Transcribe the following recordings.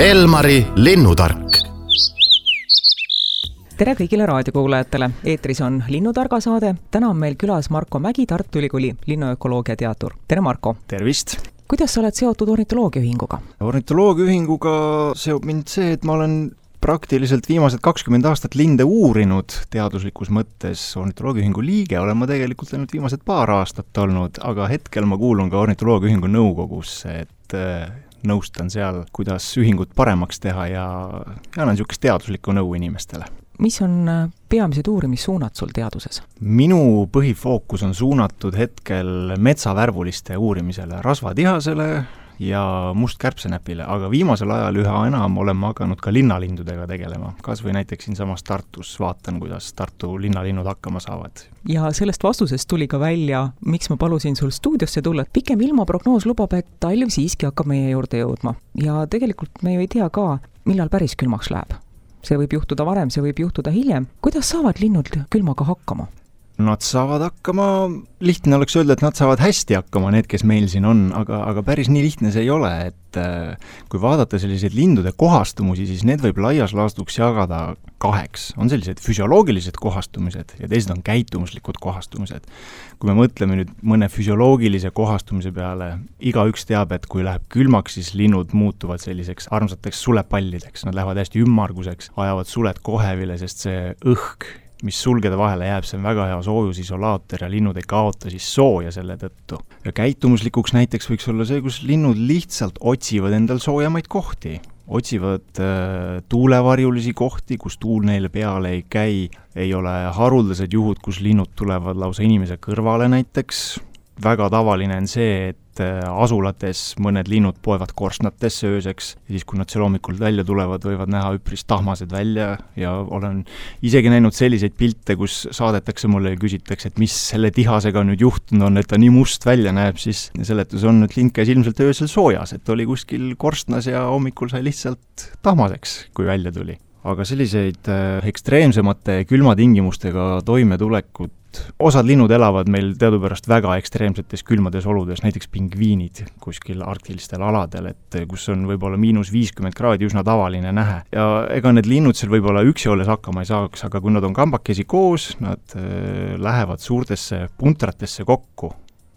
Elmari linnutark. Tere kõigile raadiokuulajatele. Eetris on Linnutarga saade. Täna on meil külas Marko Mägi, Tartu Ülikooli linnuökoloogia teadur. Tere Marko! Tervist! Kuidas sa oled seotud ornitoloogiaühinguga? Ornitoloogiaühinguga seob mind see, et ma olen praktiliselt viimased 20 aastat linde uurinud teaduslikus mõttes. Ornitoloogiaühingu liige olen ma tegelikult ainult viimased paar aastat olnud, aga hetkel ma kuulun ka Ornitoloogiaühingu nõukogusse, et nõustan seal, kuidas ühingut paremaks teha ja annan niisugust teaduslikku nõu inimestele. Mis on peamised uurimissuunad sul teaduses? Minu põhifookus on suunatud hetkel metsavärvuliste uurimisele, rasvatihasele ja mustkärbsenäpile, aga viimasel ajal üha enam olen hakanud ka linnalindudega tegelema. Kas või näiteks siinsamas Tartus vaatan, kuidas Tartu linnalinnud hakkama saavad. Ja sellest vastusest tuli ka välja, miks ma palusin sul stuudiosse tulla. Pikem ilmaprognoos lubab, et talv siiski hakkab meie juurde jõudma. Ja tegelikult me ju ei tea ka, millal päris külmaks läheb. See võib juhtuda varem, see võib juhtuda hiljem. Kuidas saavad linnud külmaga hakkama? Nad saavad hakkama, lihtne oleks öelda, et nad saavad hästi hakkama, need, kes meil siin on, aga päris nii lihtne see ei ole, et kui vaadata selliseid lindude kohastumusi, siis need võib laias laastuks jagada kaheks. On sellised füsioloogilised kohastumised ja teised on käitumuslikud kohastumised. Kui me mõtleme nüüd mõne füsioloogilise kohastumise peale, igaüks teab, et kui läheb külmaks, siis linnud muutuvad selliseks armsateks sulepallideks. Nad lähevad hästi ümmarguseks, ajavad suled kohevile, sest see õhk, mis sulgede vahele jääb, see on väga hea soojusisolaator ja linnud ei kaota siis sooja selle tõttu. Ja käitumislikuks näiteks võiks olla see, kus linnud lihtsalt otsivad endal soojamaid kohti. Otsivad tuulevarjulisi kohti, kus tuul neile peale ei käi. Ei ole haruldased juhud, kus linnud tulevad lausa inimese kõrvale näiteks. Väga tavaline on see, et asulates mõned linnud poevad korstnatesse ööseks ja siis, kui nad seal hommikul välja tulevad, võivad näha üpris tahmased välja ja olen isegi näinud selliseid pilte, kus saadetakse mulle ja küsitakse, et mis selle tihasega nüüd juhtunud on, et ta nii must välja näeb, siis seletus on, et lind käis ilmselt öösel soojas, et oli kuskil korstnas ja hommikul sai lihtsalt tahmaseks, kui välja tuli. Aga selliseid ekstreemsemate külmatingimustega toimetulekut osad linnud elavad meil teadupärast väga ekstreemsetes külmades oludes, näiteks pingviinid kuskil arktilistel aladel, et kus on võib-olla -50 kraadi üsna tavaline nähe. Ja ega need linnud seal võib-olla üksi olles hakkama ei saaks, aga kui nad on kambakesi koos, nad lähevad suurtesse puntratesse kokku.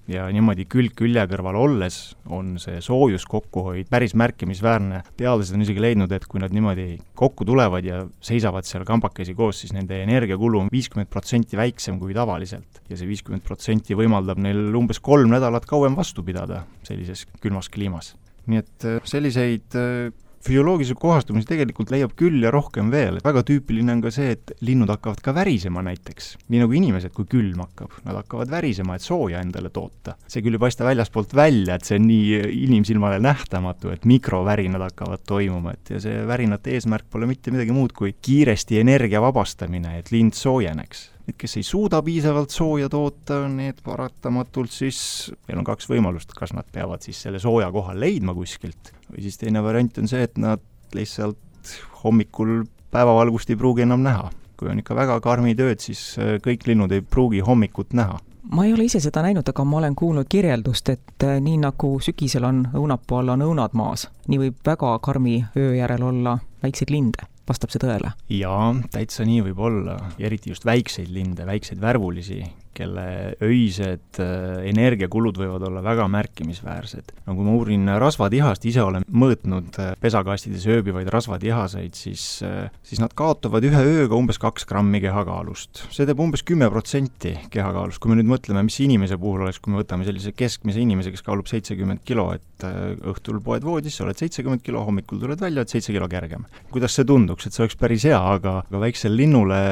Ja niimoodi külje kõrval olles on see soojus kokkuhoid päris märkimisväärne. Teadlased on isegi leidnud, et kui nad niimoodi kokku tulevad ja seisavad seal kambakesi koos, siis nende energiakulu on 50% väiksem kui tavaliselt. Ja see 50% võimaldab neil umbes 3 nädalat kauem vastu pidada sellises külmas kliimas. Nii et selliseid füsioloogilise kohastumisi tegelikult leiab küll ja rohkem veel. Väga tüüpiline on ka see, et linnud hakkavad ka värisema näiteks. Nii nagu inimesed, kui külm hakkab. Nad hakkavad värisema, et sooja endale toota. See küll ei paista väljaspoolt välja, et see on nii inimsilmale nähtamatu, et mikrovärinad hakkavad toimuma. Ja see värinate eesmärk pole mitte midagi muud kui kiiresti energia vabastamine, et lind soojeneks. Need, kes ei suuda piisavalt sooja toota, need paratamatult siis, meil on 2 võimalust, kas nad peavad siis selle sooja koha leidma kuskilt, või siis teine variant on see, et nad lihtsalt hommikul päevavalgust ei pruugi enam näha. Kui on ikka väga karmid ööd, siis kõik linnud ei pruugi hommikut näha. Ma ei ole ise seda näinud, aga ma olen kuulnud kirjeldust, et nii nagu sügisel on õunapuu all on õunad maas, nii võib väga karmi öö järel olla väikseid linde. Vastab see tõele? Jaa, täitsa nii võib olla. Eriti just väikseid linde, väikseid värvulisi, kelle öised energiakulud võivad olla väga märkimisväärsed. No kui ma uurin rasvatihast, ise olen mõõtnud pesakastides ööbivaid rasvatihaseid, siis nad kaotavad ühe ööga umbes 2 grammi kehakaalust. See teeb umbes 10% kehakaalust. Kui me nüüd mõtleme, mis inimese puhul oleks, kui me võtame sellise keskmise inimese, kes kaalub 70 kilo, et õhtul poed voodis, sa oled 70 kilo, hommikul tuled välja, et 7 kilo kergem. Kuidas see tunduks, et see oleks päris hea, aga väiksel linnule,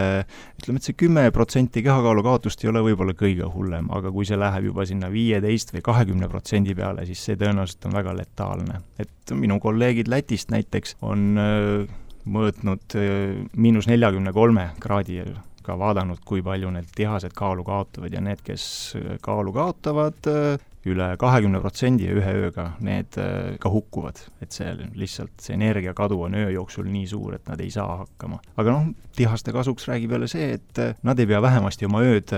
ütleme, et see 10% kehakaalu kaotust ei ole võib-olla kõige hullem, aga kui see läheb juba sinna 15 või 20% peale, siis see tõenäoliselt on väga letaalne. Et minu kolleegid Lätist näiteks on mõõtnud -43 kraadi ka vaadanud, kui palju need tihased kaalu kaotavad ja need, kes kaalu kaotavad üle 20% ühe ööga, need ka hukkuvad. Et see lihtsalt see energiakadu on öö jooksul nii suur, et nad ei saa hakkama. Aga tihaste kasuks räägib jälle see, et nad ei pea vähemasti oma ööd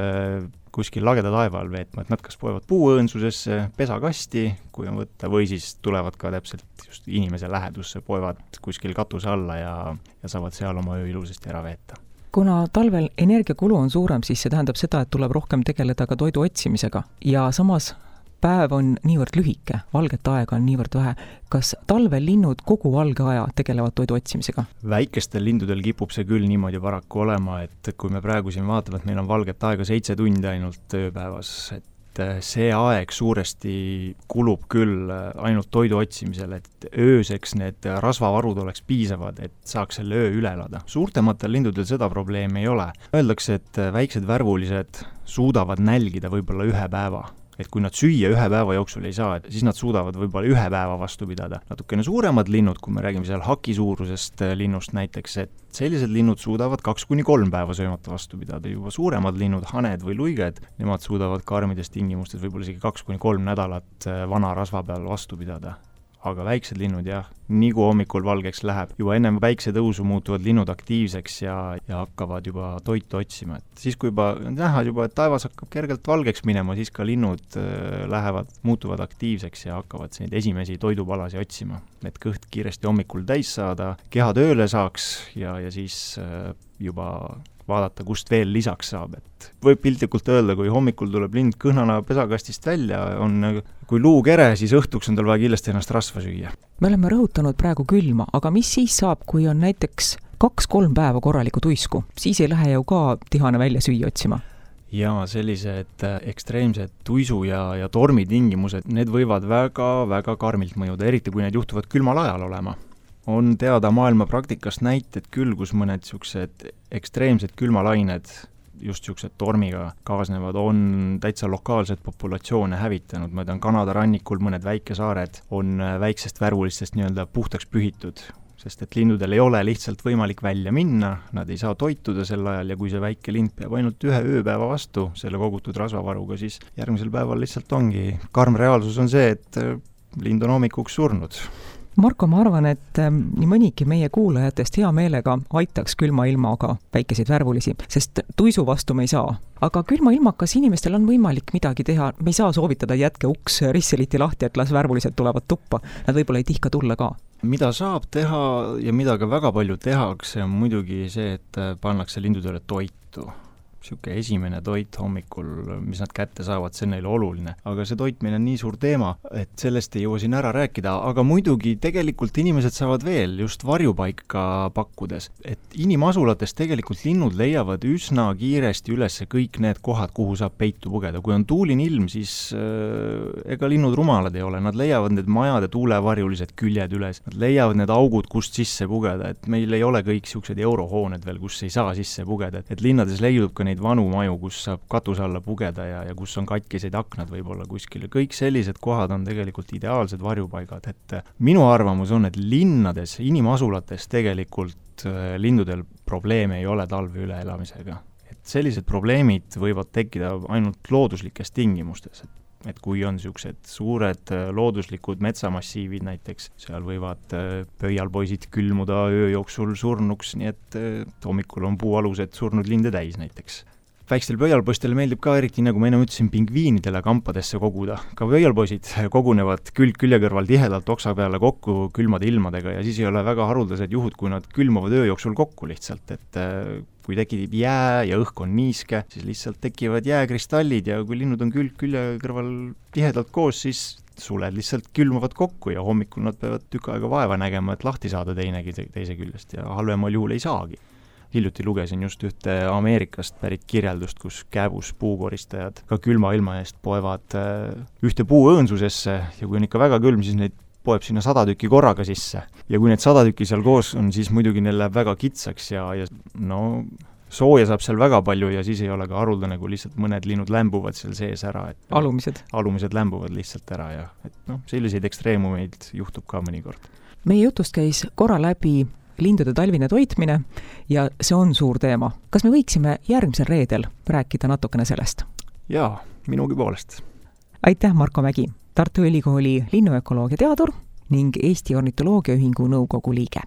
kuskil lageda taeva all veetma, et nad kas poevad puuõõnsusesse, pesakasti, kui on võtta, või siis tulevad ka täpselt just inimese lähedusse, poevad kuskil katuse alla ja saavad seal oma öö ilusasti ära veeta. Kuna talvel energiakulu on suurem, siis see tähendab seda, et tuleb rohkem tegeleda ka toidu otsimisega ja samas päev on niivõrd lühike, valget aega on niivõrd vähe. Kas talvel linnud kogu valge aja tegelevad toidu otsimisega? Väikestel lindudel kipub see küll niimoodi paraku olema, et kui me praegu siin vaatame, et meil on valget aega 7 tundi ainult ööpäevas, et see aeg suuresti kulub küll ainult toidu otsimisele, et ööseks need rasvavarud oleks piisavad, et saaks selle öö üle elada. Suurtematel lindudel seda probleemi ei ole. Öeldakse, et väiksed värvulised suudavad nälgida võib-olla 1 päeva. Et kui nad süüa 1 päeva jooksul ei saa, siis nad suudavad võib-olla 1 päeva vastu pidada. Natukene suuremad linnud, kui me räägime seal haki suurusest linnust näiteks, et sellised linnud suudavad 2-3 päeva söömata vastu pidada. Juba suuremad linnud, haned või luiged, nemad suudavad karmides tingimustes võib-olla isegi 2-3 nädalat vana rasva peal vastu pidada. Aga väiksed linnud jah, nii kui hommikul valgeks läheb, juba ennem päiksetõusu muutuvad linnud aktiivseks ja hakkavad juba toitu otsima. Et siis kui juba näha juba, et taevas hakkab kergelt valgeks minema, siis ka linnud muutuvad aktiivseks ja hakkavad neid esimesi toidupalasi otsima. Et kõht kiiresti hommikul täis saada, keha tööle saaks ja siis juba vaadata, kust veel lisaks saab. Et võib piltlikult öelda, kui hommikul tuleb lind kõhnana pesakastist välja, on kui luukere, siis õhtuks on tal vaja kindlasti ennast rasva süüa. Me oleme rõhutanud praegu külma, aga mis siis saab, kui on näiteks 2-3 päeva korralikku tuisku? Siis ei lähe ju ka tihane välja süüa otsima. Ja sellised ekstreemsed tuisu ja tormitingimused, need võivad väga karmilt mõjuda, eriti kui need juhtuvad külmal ajal olema. On teada maailma praktikast näited küll, kus mõned siuksed ekstreemsed külmalained, just siuksed tormiga kaasnevad, on täitsa lokaalsed populatsioone hävitanud. Ma tean, Kanada rannikul mõned väikesaared on väiksest värvulistest nii-öelda puhtaks pühitud, sest et lindudel ei ole lihtsalt võimalik välja minna, nad ei saa toituda sel ajal ja kui see väike lind peab ainult 1 ööpäeva vastu selle kogutud rasvavaruga, siis järgmisel päeval lihtsalt ongi. Karm reaalsus on see, et lind on hommikuks surnud. Marko, ma arvan, et nii mõnigi meie kuulajatest hea meelega aitaks külma ilmaga väikeseid värvulisi, sest tuisu vastu me ei saa. Aga külma ilmakas inimestel on võimalik midagi teha. Me ei saa soovitada jätke uks risseliti lahti, et las värvulised tulevad tuppa. Nad võib-olla ei tihka tulla ka. Mida saab teha ja mida ka väga palju tehakse, on muidugi see, et pannakse lindudele toitu. Siuke esimene toit hommikul, mis nad kätte saavad, see on neile oluline. Aga see toitmine on nii suur teema, et sellest ei jõua siin ära rääkida, aga muidugi tegelikult inimesed saavad veel just varjupaika pakkudes. Et inimasulates tegelikult linnud leiavad üsna kiiresti üles kõik need kohad, kuhu saab peitu pugeda. Kui on tuuline ilm, siis ega linnud rumalad ei ole. Nad leiavad need majade tuulevarjulised küljed üles. Nad leiavad need augud, kust sisse pugeda. Et meil ei ole kõik siuksed eurohooned veel, kus ei saa sisse pugeda. Et linnades leidub ka neid vanu maju, kus saab katuse alla pugeda ja kus on katkiseid aknad võib-olla kuskil. Kõik sellised kohad on tegelikult ideaalsed varjupaigad. Et minu arvamus on, et linnades, inimasulates tegelikult lindudel probleeme ei ole talve üleelamisega. Et sellised probleemid võivad tekkida ainult looduslikes tingimustes. Et kui on siuksed suured looduslikud metsamassiivid näiteks, seal võivad pöialpoisid külmuda öö jooksul surnuks, nii et hommikul on puualused surnud linde täis näiteks. Väikstel pöialpoistel meeldib ka eriti, nagu ma enne ütlesin, pingviinidele kampadesse koguda. Ka pöialpoisid kogunevad külje kõrval tihedalt oksa peale kokku külmade ilmadega ja siis ei ole väga haruldased juhud, kui nad külmavad öö jooksul kokku lihtsalt, et kui tekib jää ja õhk on niiske, siis lihtsalt tekivad jääkristallid ja kui linnud on külje kõrval tihedalt koos, siis suled lihtsalt külmavad kokku ja hommikul nad peavad tükk aega vaeva nägema, et lahti saada teise küljest ja halvemal juhul ei saagi. Hiljuti lugesin just ühte Ameerikast pärit kirjeldust, kus kääbus puukoristajad ka külma ilma eest poevad ühte puuõõnsusesse ja kui on ikka väga külm, siis neid poeb sinna 100 tükki korraga sisse. Ja kui need 100 tükki seal koos on, siis muidugi neil läheb väga kitsaks ja no sooja saab seal väga palju ja siis ei ole ka haruldane, kui lihtsalt mõned linnud lämbuvad seal sees ära. Et alumised lämbuvad lihtsalt ära ja selliseid ekstreemumeid juhtub ka mõnikord. Meie jutust käis korra läbi lindude talvine toitmine ja see on suur teema. Kas me võiksime järgmisel reedel rääkida natukene sellest? Jaa, minugi poolest. Aitäh, Marko Mägi, Tartu Ülikooli linnuökoloogia teadur ning Eesti Ornitoloogia Ühingu nõukogu liige.